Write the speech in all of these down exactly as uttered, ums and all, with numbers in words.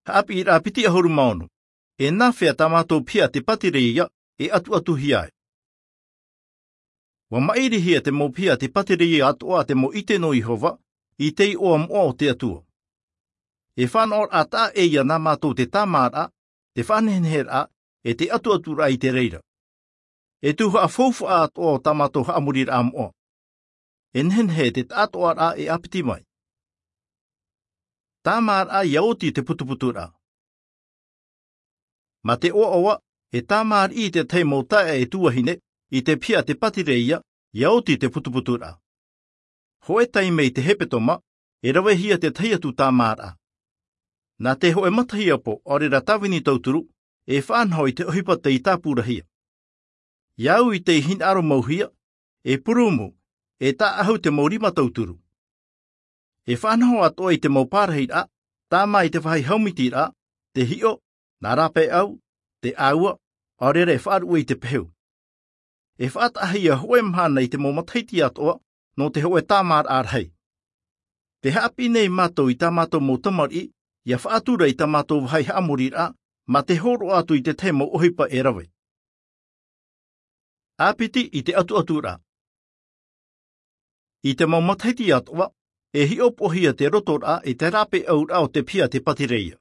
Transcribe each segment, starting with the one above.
Haʻapiʻiraʻa piti ʻahuru mā ono. E nāfea tā mātou piha a te patireia e ʻatuʻatuhia ai? Ua maʻirihia te mau piha a te patireia atoʻa a te mau ʻite nō Iehova i te iʻoa moʻa o te Atua. E fānaʻoraʻa taʻa ʻē ia nā mātou te tāmāraʻa, te faʻaneheneheraʻa, e te ʻatuʻaturaʻa i te reira. E tuhaʻa faufaʻa atoʻa o tā mātou haʻamoriraʻa moʻa. E nehenehe te taʻatoʻaraʻa e ʻāpiti mai. Tāmāraʻa ia oti te putuputuraʻa. Mā te ʻoaʻoa, e tāmāriʻi te tahi mau taeaʻe tuahine i te piha a te patireia ia oti te putuputuraʻa. Hōʻē taime i te hepetoma, e ravehia te tahi atu tāmāraʻa. Nā te hōʻē matahiapo ʻaore rā tāvini tauturu, e faʻanaho i te ʻohipa tei tāpurahia. Ia au i te hinaʻaro mauhia, e purumu, e taʻaʻahu te mau rima tauturu. E faʻanaho atoʻa i te mau pārahiraʻa, tāmā i te vāhi haʻamitiraʻa, te hiʻo, nā rāpaeʻau, te ʻāua, ʻaore rā e faʻaruʻe i te pehu. E faʻataʻahia hōʻē mahana i te mau matahiti atoʻa nō te hōʻē tāmāraʻa rahi. Te haʻapiʻi nei mātou i tā mātou mau tamariʻi ia faʻatura i tā mātou vāhi haʻamoriraʻa, mā te hōroʻa atu i te tahi mau ʻohipa e rave. ʻĀpiti i te ʻatuʻaturaʻa. I te mau matahiti atoʻa, e hiʻopoʻahia te rotoraʻa i te rāpaeʻauraʻa o te piha a te patireia.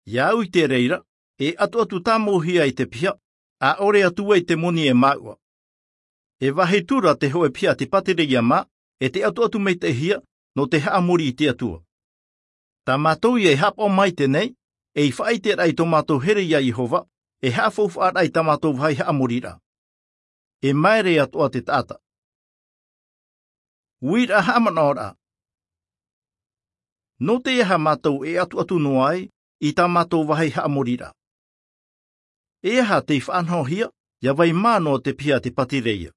Ia au i te reira, e ʻatuʻatu tāmauhia ai te piha, ʻaʻore atu ai te moni e māuʻa. E vāhi tura te hōʻē piha a te patireia mā, e te ʻatuʻatu maitaʻihia nō te haʻamori i te Atua. Tā mātou ia e haʻapaʻo maitaʻi nei, ei faʻaʻiteraʻa i tō mātou here iā Iehova, e haʻafaufaʻaraʻa i tā mātou vāhi haʻamoriraʻa. E māere atoʻa te taʻata. Uiraʻa haʻamanaʻoraʻa. Nō te aha mātou e ʻatuʻatu noa ai i tā mātou vāhi haʻamoriraʻa? E aha tei faʻanahohia ia vai mā noa te piha a te patireia?